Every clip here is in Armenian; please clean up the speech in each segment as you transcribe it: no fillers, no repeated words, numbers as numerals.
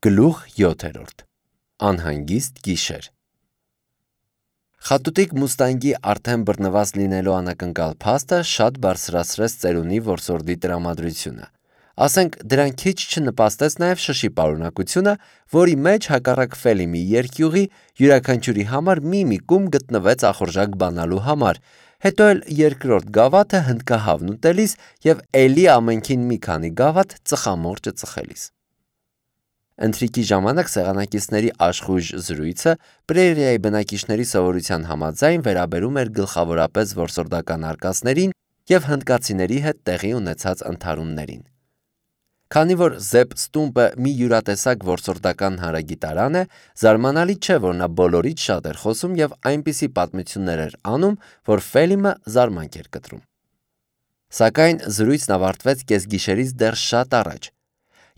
Գլուխ 7. Անհանգիստ գիշեր։ Խատուտիկ մուստանգի արդեն բռնված լինելու անակնկալ փաստը շատ բարձրացրեց ծերունի որսորդի տրամադրությունը։ Ասենք դրան քիչ չնպաստեց նաև շշի պարունակությունը, որի մեջ հակառակ Ֆելիմի երկյուղի յուրաքանչյուրի համար մի կում գտնվեց ախորժակ բանալու համար, հետո էլ երկրորդ գավաթը հնդկահավն ուտելիս և էլի ամենքին մի քանի գավաթ ծխամորճը ծխելիս։ Ընթրիքի ժամանակ սեղանակիցների աշխույժ զրույցը պրերիայի բնակիչների սովորության համաձայն վերաբերում էր գլխավորապես որսորդական արկածներին և հնդկացիների հետ տեղի ունեցած ընդհարումներին։ Քանի որ Զեփ Ստումպը մի յուրատեսակ որսորդական հանրագիտարան է, զարմանալի չէ, որ նա բոլորից շատ էր խոսում և այնպիսի պատմություններ էր անում, որ Ֆելիմը զարմանք էր կտրում։ Սակայն զրույցն ավարտվեց կեսգիշերից դեռ շատ առաջ։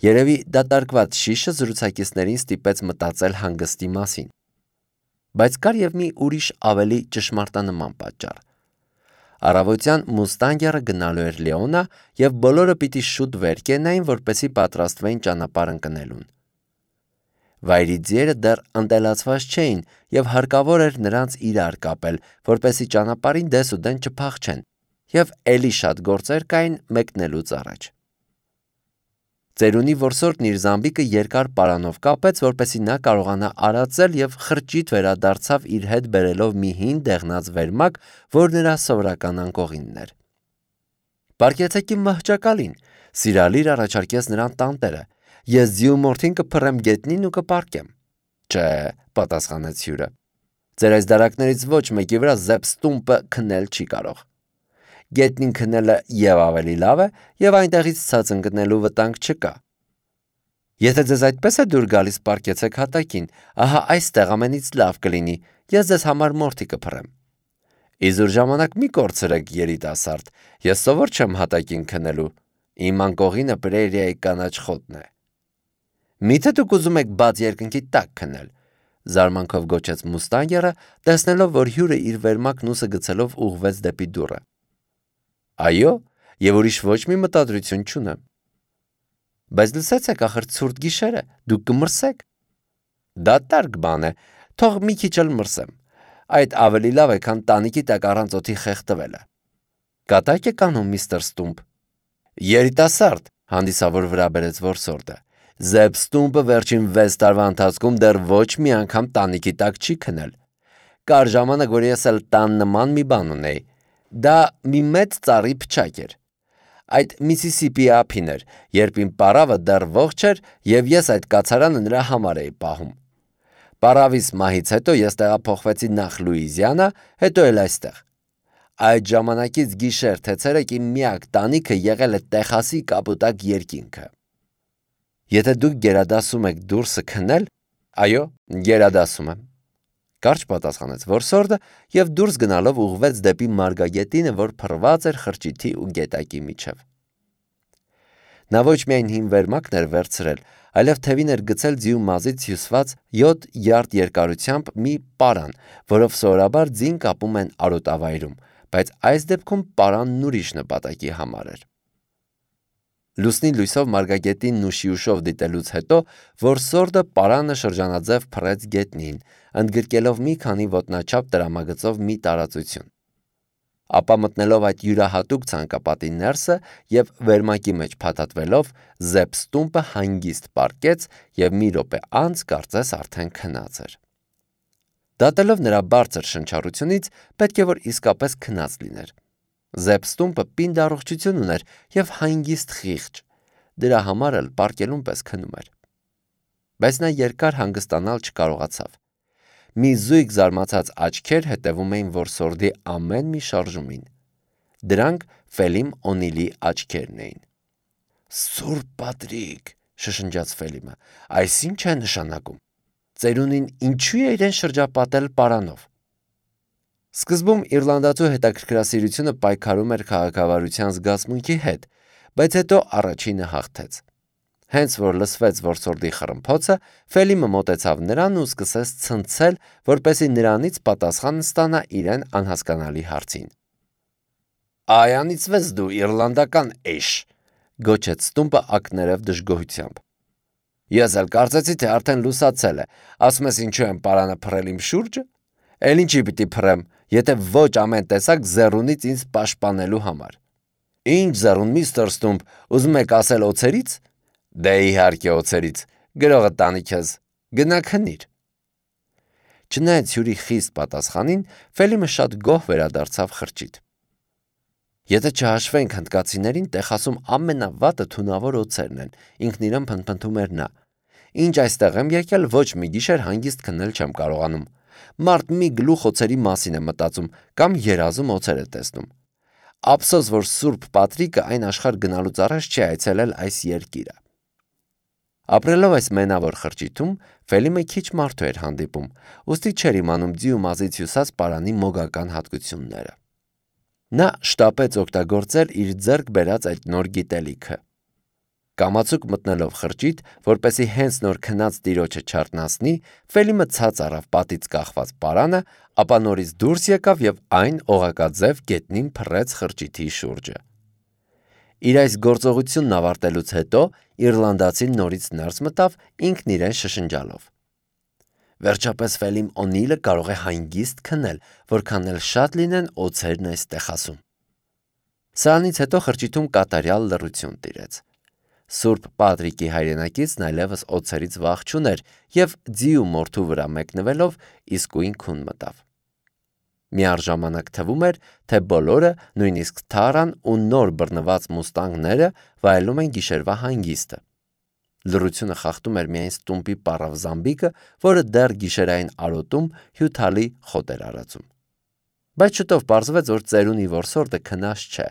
Երևի դատարկված շիշը զրուցակիցներին ստիպեց մտածել հանգստի մասին։ Բայց կար և մի ուրիշ ավելի ճշմարտանման պատճառ։ Առավոտյան մուստանգերը գնալու էր Լեոնա և բոլորը պիտի շուտ վեր կենային, որպեսզի պատրաստվեին ճանապարհ ընկնելուն։ Վայրի ձիերը դեռ ընտելացված չէին և հարկավոր էր նրանց իրար կապել, որպեսզի ճանապարհին դեսուդեն չփախչեն, և էլի շատ գործեր կային մեկնելուց առաջ։ Ծերունի որսորդն իր զամբիկը երկար պարանով կապեց, որպեսզի նա կարողանա արածել և խրճիթ վերադարձավ իր հետ բերելով մի հին դեղնած վերմակ, որ նրա սովորական անկողինն էր։ «Պառկեցեք իմ մահճակալին», սիրալիր առաջարկեց նրան տանտերը, «ես ձիու մորթին կփռեմ գետնին ու կպառկեմ»։ «Չէ», պատասխանեց հյուրը, «ձեր այս դարակներից ոչ մեկի վրա Զեփ Ստումպը քնել չի կարող։ Գետնին քնելը և ավելի լավ է, և այնտեղից ցած ընկնելու վտանգ չկա։ Եթե ձեզ այդպես է դուր գալիս, պառկեցեք հատակին, ահա այստեղ ամենից լավ կլինի, ես ձեզ համար մորթի կփռեմ։ Իզուր ժամանակ մի կորցրեք, երիտասարդ, ես սովոր չեմ հատակին քնելու, իմ անկողինը պրերիայի կանաչ խոտն է։ Միթե դուք ուզում եք բաց երկնքի տակ քնել, զարմանքով գոչեց մուստանգերը, տեսնելով, որ հյուրը իր վերմակն ուսը գցելով ուղղվեց դեպի դուռը։ Այո, և ուրիշ ոչ մի մտադրություն չունեմ։ Բայց լսեցեք, ախր ցուրտ գիշեր է, դուք կմրսեք։ Դատարկ բան է, թող մի քիչ էլ մրսեմ։ Այդ ավելի լավ է, քան տանիքի տակ առանց օդի խեղդվելը։ Կատակ եք անում, միստր Ստումպ։ Երիտասարդ, հանդիսավոր վրա բերեց որսորդը, Զեփ Ստումպը վերջին 6 տարվա ընթացքում դեռ ոչ մի անգամ տանիքի տակ չի քնել։ Կար ժամանակ, որ ես էլ տան նման մի բան ունեի։ Դա մի մեծ ծառի փչակ էր։ Այդ Միսիսիպի ափին էր, երբ իմ պարավը դեռ ողջ էր, և ես այդ կացարանը նրա համար էի պահում։ Պարավիս մահից հետո ես տեղափոխվեցի նախ Լուիզիանա, հետո էլ այստեղ։ Այդ ժամանակից գիշեր թե ցերեկ իմ միակ տանիքը եղել է Տեխասի կապուտակ երկինքը։ Եթե դուք գերադասում եք դուրսը քնել, այո, գերադասում եմ, կարճ պատասխանեց որսորդը և դուրս գնալով ուղղվեց դեպի մարգագետինը, որ փռված էր խրճիթի ու գետակի միջև։ Նա ոչ միայն հին վերմակն էր վերցրել, այլև թևին էր գցել ձիու մազից հյուսված 7 յարդ երկարությամբ մի պարան, որով սովորաբար ձին կապում են արոտավայրում, բայց այս դեպքում պարանն ուրիշ նպատակի համար էր։ Լուսնի լույսով մարգագետինն ու շիուշով դիտելուց հետո որսորդը պարանը շրջանաձև փռեց գետնին, ընդգրկելով մի քանի ոտնաչափ տրամագծով մի տարածություն։ Ապա մտնելով այդ յուրահատուկ ցանկապատի ներսը և վերմակի մեջ փաթաթվելով, Զեփ Ստումպը հանգիստ պառկեց և մի րոպե անց կարծես արդեն քնած էր։ Դատելով նրա բարձր շնչառությունից, պետք է որ իսկապես քնած լիներ։ Զեփ Ստումպը պինդ առողջություն ուներ և հանգիստ խիղճ, դրա համար էլ պառկելուն պես քնում էր։ Բայց նա երկար հանգստանալ չկարողացավ։ Մի զույգ զարմացած աչքեր հետևում էին որսորդի ամեն մի շարժումին։ Դրանք Ֆելիմ Օնիլի աչքերն էին։ Սուրբ Պատրիկ, շշնջաց Ֆելիմը, այս ի՞նչ է նշանակում։ Ծերունին ինչու է իրեն շրջապատել պարանով։ Սկզբում իռլանդացու հետաքրքրասիրությունը պայքարում էր քաղաքավարության զգացմունքի հետ, բայց հետո առաջինը հաղթեց։ Հենց որ լսվեց որսորդի խռմփոցը, Ֆելիմը մոտեցավ նրան ու սկսեց ցնցել, որպեսզի նրանից պատասխան ստանա իրեն անհասկանալի հարցին։ Այ անիծվես դու իռլանդական էշ, գոչեց Ստումպը ակներև դժգոհությամբ։ Ես էլ կարծեցի, թե արդեն լուսացել է, ասում ես ինչու եմ պարանը փռել իմ շուրջը, էլ ինչի պիտի փռեմ, եթե ոչ ամեն տեսակ զեռունից ինձ պաշտպանելու համար։ Ինչ զեռուն, միստր Ստումպ, ուզում եք ասել օձերից։ Դե իհարկե օձերից, գրողը տանի քեզ, գնա քնիր։ Չնայած հյուրի խիստ պատասխանին, Ֆելիմը շատ գոհ վերադարձավ խրճիթ։ Եթե չհաշվենք հնդկացիներին, Տեխասում ամենավատը թունավոր օձերն են, ինքն իրեն փնթփնթում էր նա։ Ինչ այստեղ եմ եկել, ոչ մի գիշեր հանգիստ քնել չեմ կարողանում։ Մարդ մի գլուխ օձերի մասին է մտածում կամ երազում օձեր է տեսնում։ Ափսոս, որ Սուրբ Պատրիկը այն աշխարհ գնալուց առաջ չի այցելել այս երկիրը։ Ապրելով այս մենավոր խրճիթում, Ֆելիմը քիչ մարդու էր հանդիպում, ուստի չէր իմանում ձի ու մազից հյուսած պարանի մոգական հատկությունները։ Նա շտապեց օգտագործել իր ձեռք բերած այդ նոր գիտելիքը։ Կամացուկ մտնելով խրճիթ, որպեսզի հենց նոր քնած տիրոջը չարթնացնի, Ֆելիմը ցած առավ պատից կախված պարանը, ապա նորից դուրս եկավ եւ այն օղակաձև գետնին փռեց խրճիթի շուրջը։ Իր այս գործողությունն ավարտելուց հետո իռլանդացին նորից ներս մտավ ինքն իրեն շշնջալով. Վերջապես Ֆելիմ Օնիլը կարող է հանգիստ քնել, որքան էլ շատ լինեն օձերն այս Տեխասում։ Սրանից հետո խրճիթում կատարյալ լռություն տիրեց։ Սուրբ Պատրիկի հայրենակիցն այլևս օձերից վախ չուներ եւ ձի ու մորթու վրա մեկնվելով իսկույն քուն մտավ։ Միառժամանակ թվում էր, թե բոլորը, նույնիսկ Թարան ու նոր բռնված մուստանգները վայելում են գիշերվա հանգիստը։ Լռությունը խախտում էր միայն Ստումպի պառավ զամբիկը, որը դեռ գիշերային արոտում հյութալի խոտ էր արածում։ Բայց շուտով պարզվեց, որ ծերունի որսորդը քնած չէ։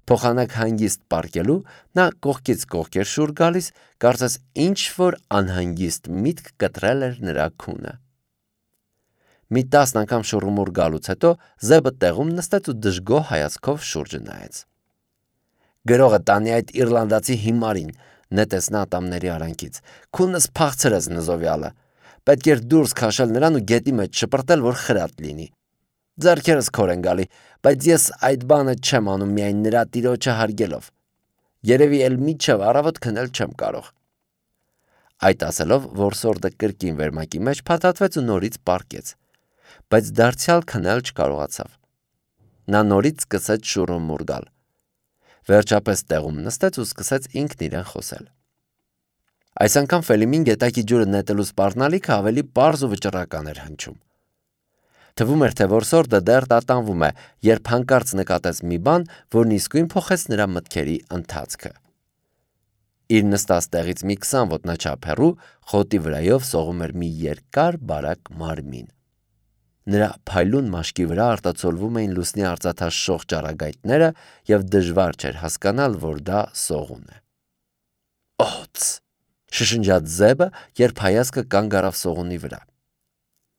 Փոխանակ հանգիստ պառկելու նա կողքից կողք էր շուռ գալիս, կարծես ինչ-որ անհանգիստ միտք կտրել էր նրա քունը։ Մի 10 անգամ շուռումուռ գալուց հետո Զեբը տեղում նստեց ու դժգոհ հայացքով շուրջը նայեց։ Գրողը տանի այդ իռլանդացի հիմարին, նետեց նա ատամների արանքից։ Քունս փախցրեց նզովյալը։ Պետք էր դուրս քաշել նրան ու գետի մեջ շպրտել, որ խրատ լինի։ Ձեռքերս քոր են գալի, բայց ես այդ բանը չեմ անում միայն նրա տիրոջը հարգելով։ Երևի էլ մինչև առավոտ քնել չեմ կարող։ Այդ ասելով որսորդը կրկին վերմակի մեջ փաթաթվեց ու նորից պառկեց, բայց դարձյալ քնել չկարողացավ։ Նա նորից սկսեց շուռումուռ գալ։ Վերջապես տեղում նստեց ու սկսեց ինքն իրեն խոսել։ Այս անգամ Ֆելիմին գետակի ջուրը նետելու սպառնալիքը ավելի պարզ ու վճռական էր հնչում։ Թվում էր, թե որսորդը դեռ տատանվում է, երբ հանկարծ նկատեց մի բան, որն իսկույն փոխեց նրա մտքերի ընթացքը։ Իր նստած տեղից մի 20 ոտնաչափ հեռու խոտի վրայով սողում էր մի երկար բարակ մարմին։ Նրա փայլուն մաշկի վրա արտացոլվում էին լուսնի արծաթաշող ճառագայթները եւ դժվար չէր հասկանալ, որ դա սողուն է։ Օց! Շշնջաց Զեբը, երբ հայացքը կանգ առավ սողունի վրա։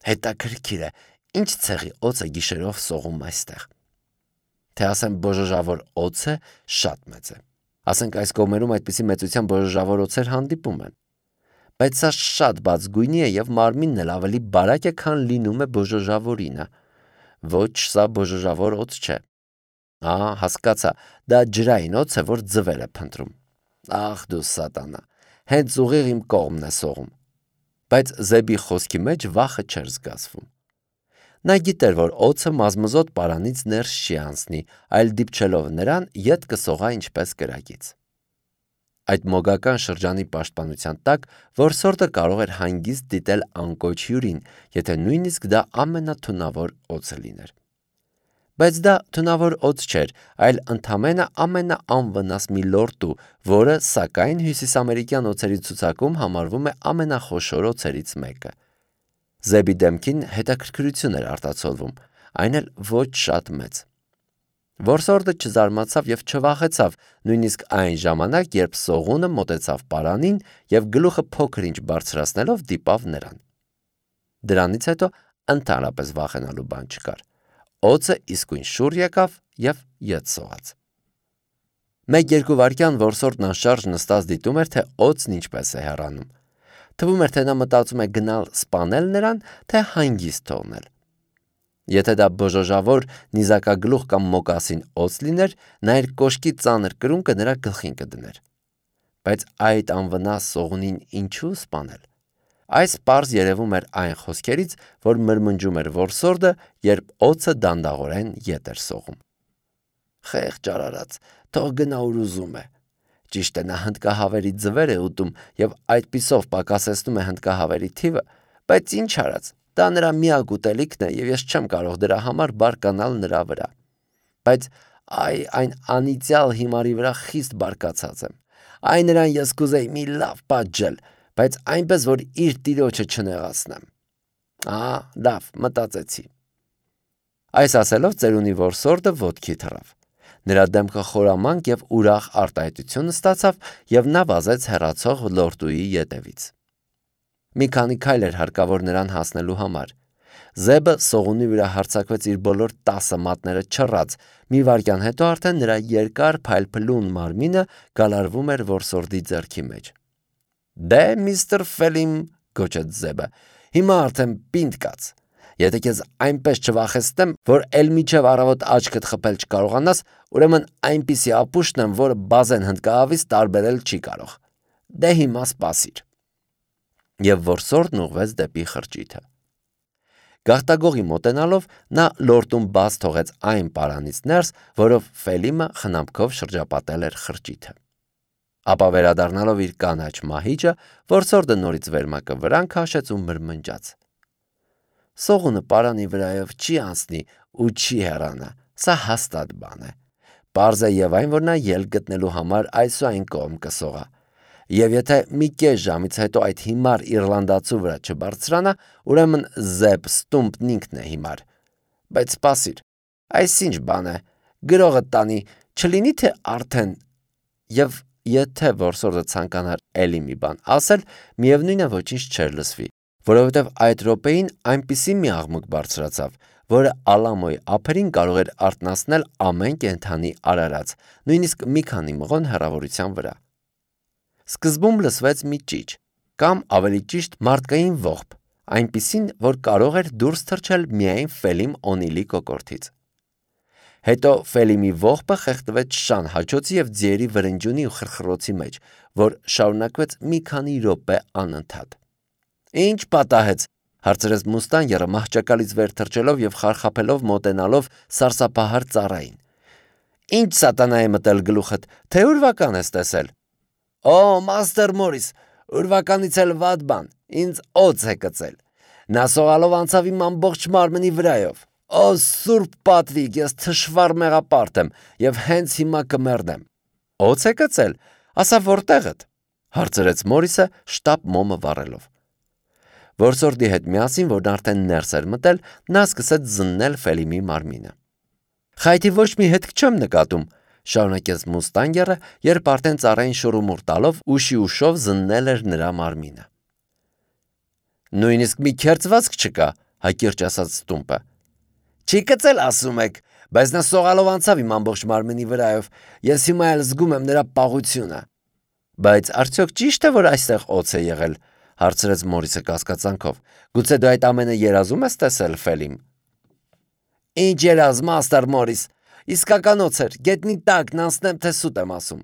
Հետաքրքիր է, ինչ ցեղի օձ է գիշերով սողում այստեղ։ Թե ասեմ բոժոժավոր օձ է, շատ մեծ է։ Ասենք այս կողմերում այդպիսի մեծության բոժոժավոր օձեր հանդիպում են։ Բայց սա շատ բաց գույնի է եւ մարմինն էլ ավելի բարակ է, քան լինում է բոժոժավորինը։ Ոչ, սա բոժոժավոր օձ չէ։ Հասկացա, դա ջրային օձ է, որ ձվել է փնտրում։ Ախ դու սատանա, հենց ուղիղ իմ կողմն է սողում։ Բայց Զեբի խոսքի մեջ վախը չէր զգացվում։ Նա գիտեր, որ օձը մազմզոտ պարանից ներս չի անցնի, այլ դիպչելով նրան ետ կսողա ինչպես կրակից։ Այդ մոգական շրջանի պաշտպանության տակ որսորդը կարող էր հանգիստ դիտել անկոչ հյուրին, եթե նույնիսկ դա ամենաթունավոր օձը լիներ։ Բայց դա թունավոր օձ չէր, այլ ընդամենը ամենաանվնաս մի լորտու, որը, սակայն, հյուսիսամերիկյան օձերի ցուցակում համարվում է ամենախոշոր օձերից մեկը։ Զեբի դեմքին հետաքրքրություն էր արտացոլվում, այն էլ ոչ շատ մեծ։ Որսորդը չզարմացավ եւ չվախեցավ, նույնիսկ այն ժամանակ, երբ սողունը մոտեցավ պարանին եւ գլուխը փոքր-ինչ բարձրացնելով դիպավ նրան։ Դրանից հետո ընդհանրապես վախենալու բան չկար։ Օձը իսկույն շուռ եկավ եւ ետ սողաց։ 1-2 վայրկյան որսորդն անշարժ նստած դիտում էր, թե օձն ինչպես է հեռանում։ Թվում էր, թե նա մտածում է գնալ սպանել նրան, թե հանգիստ թողնել։ Եթե դա բոժոժավոր, նիզակագլուխ կամ մոկասին օձ լիներ, նա իր կոշկի ծանր կրունկը նրա գլխին կդներ։ բայց այդ անվնաս սողունին ինչու սպանել։ Այս պարզ երևում էր այն խոսքերից, որ մրմնջում էր որսորդը, երբ օձը դանդաղորեն ետ էր սողում։ Խեղճ արարած, թող գնա ուր ուզում է։ Ճիշտ է, նա հնդկահավերի ձվեր է ուտում և այդպիսով պակասեցնում է հնդկահավերի թիվը, բայց ինչ արած, դա նրա միակ ուտելիքն է և ես չեմ կարող դրա համար բարկանալ նրա վրա։ Բայց այն անիծյալ հիմարի վրա խիստ բարկացած եմ։ Այն նրան ես կուզեի մի լավ պատժել, բայց այնպես, որ իր տիրոջը չնեղացնեմ։ Լավ, մտածեցի։ Այս ասելով ծերունի որսորդը ոտքի թռավ։ Նրա դեմքը խորամանկ և ուրախ արտահայտություն ստացավ և նա վազեց հեռացող լորդուի ետևից։ Մի քանի քայլ էր հարկավոր նրան հասնելու համար։ Զեբը սողունի վրա հարձակվեց իր բոլոր 10 մատները չռած, մի վայրկյան հետո արդեն նրա երկար փայլփլուն մարմինը գալարվում էր որսորդի ձեռքի մեջ։ Դե միստր Ֆելիմ, գոչեց Զեբը, հիմա արդեն պինդ կաց։ Եթե քեզ այնպես չվախեցնեմ, որ էլ միջև առավոտ աչքդ խփել չկարողանաս, ուրեմն այնպիսի ապուշտն եմ, որը բազեն հնդկահավից տարբերել չի կարող։ Դե հիմա սպասիր։ Եվ որսորդն ուղղվեց դեպի խրճիթը։ Գաղտագողի մոտենալով նա լորտում բաց թողեց այն պարանից ներս, որով Ֆելիմը խնամքով շրջապատել էր խրճիթը։ Ապա վերադառնալով իր կանաչ մահիճը, որսորդը նորից վերմակը վրան քաշեց ու մրմնջաց։ Սողունը պարանի վրայով չի անցնի ու չի հեռանա, սա հաստատ բան է։ Պարզ է և այն, որ նա ելք գտնելու համար այս ու այն կողմ կսողա։ Եվ եթե մի կես ժամից հետո այդ հիմար իռլանդացու վրա չբարձրանա, ուրեմն Զեբ Ստումպն ինքն է հիմար։ Բայց սպասիր, այս ինչ բան է, գրողը տանի, չլինի թե արդեն։ Եվ եթե որսորդը ցանկանար էլի մի բան ասել, միևնույն է ոչինչ չէր լսվի, որովհետև այդ րոպեին այնպիսի մի աղմուկ բարձրացավ, որը Ալամոյի ափերին կարող էր արթնացնել ամեն կենդանի արարած, նույնիսկ մի քանի մղոն հեռավորության վրա։ Սկզբում լսվեց մի ճիչ, կամ ավելի ճիշտ մարդկային ողբ, այնպիսին, որ կարող էր դուրս թռչել միայն Ֆելիմ Օնիլի կոկորդից։ Հետո Ֆելիմի ողբը խեղդվեց շան հաչոցի և ձիերի վրնջյունի ու խրխրոցի մեջ, որ շարունակվեց մի քանի րոպե անընդհատ։ Ինչ պատահեց, հարցրեց Մուստանգերը մահճակալից վեր թռչելով և խարխափելով մոտենալով սարսափահար ծառային։ Ինչ սատանա է մտել գլուխդ, թե ուրվական ես տեսել։ Մաստեր Մորիս, ուրվականից էլ վատ բան, ինձ օձ է կծել։ Նա սողալով անցավ իմ ամբողջ մարմնի վրայով։ Սուրբ պատվիկ, ես թշվառ մեղապարտ եմ և հենց հիմա կմեռնեմ։ Օձ է կծել, ասա որտեղդ, հարցրեց Մորիսը շտապ մոմը վառելով։ Որսորդի հետ միասին, որն արդեն ներս էր մտել, նա սկսեց զննել Ֆելիմի մարմինը։ Խայթի ոչ մի հետք չեմ նկատում, շարունակեց Մուստանգերը, երբ արդեն ծառային շուռումուռ տալով ուշի ուշով զննել էր նրա մարմինը։ Նույնիսկ մի քերծվածք չկա, հակիրճ ասաց Ստումպը։ Չի կծել, ասում եք, բայց նա սողալով անցավ իմ ամբողջ մարմնի վրայով, ես հիմա էլ զգում եմ նրա պաղությունը։ Բայց արդյոք ճիշտ է, որ այստեղ օձ է եղել, հարցրեց Մորիսը կասկածանքով։ Գուցե դու այդ ամենը երազում ես տեսել, Ֆելիմ։ Ինչ երազ, մաստեր Մորիս, իսկական օձ էր, գետնի տակն անցնեմ, թե սուտ եմ ասում։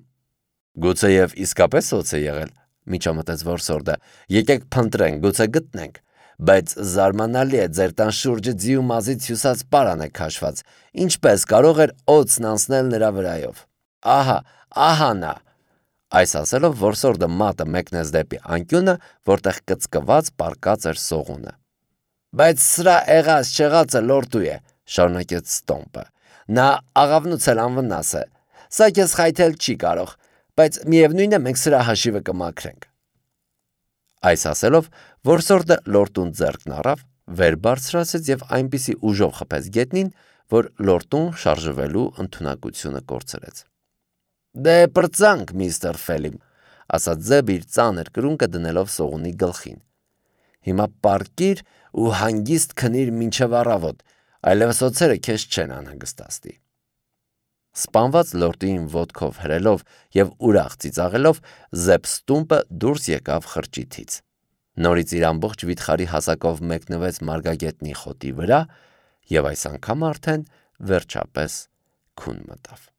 Գուցե և իսկապես օձ է եղել, միջամտեց որսորդը, եկեք փնտրենք, գուցե գտնենք, բայց զարմանալի է, ձեր տան շուրջը ձի ու մազից հյուսած պարան է քաշված, ինչպես կարող էր օձն անցնել նրա վրայով։ Ահա նա։ Այս ասելով որսորդը մատը մեկնեց դեպի անկյունը, որտեղ կծկված պառկած էր սողունը։ Բայց սրա եղած չեղածը լորտու է, շարունակեց Ստոմպը։ Նա աղավնուց էլ անվնաս է։ Սա քեզ խայթել չի կարող, բայց միևնույն է մենք սրա հաշիվը կմաքրենք։ Այս ասելով որսորդը լորտուն ձեռքն առավ, վեր բարձրացեց և այնպիսի ուժով խփեց գետնին, որ լորտուն շարժվելու ընդունակությունը կորցրեց։ Դե պրծանք, միստր Ֆելիմ, ասաց Զեբը իր ծանր կրունկը դնելով սողունի գլխին։ Հիմա պառկիր ու հանգիստ քնիր մինչև առավոտ, այլևս օձերը քեզ չեն անհանգստացնի։ Սպանված լորտուին ոտքով հրելով և ուրախ ծիծաղելով, Զեբ Ստումպը դուրս եկավ խրճիթից։ Նորից իր ամբողջ վիթխարի հասակով մեկնվեց մարգագետնի խոտի վրա և այս անգամ արդեն վերջապես քուն մտավ։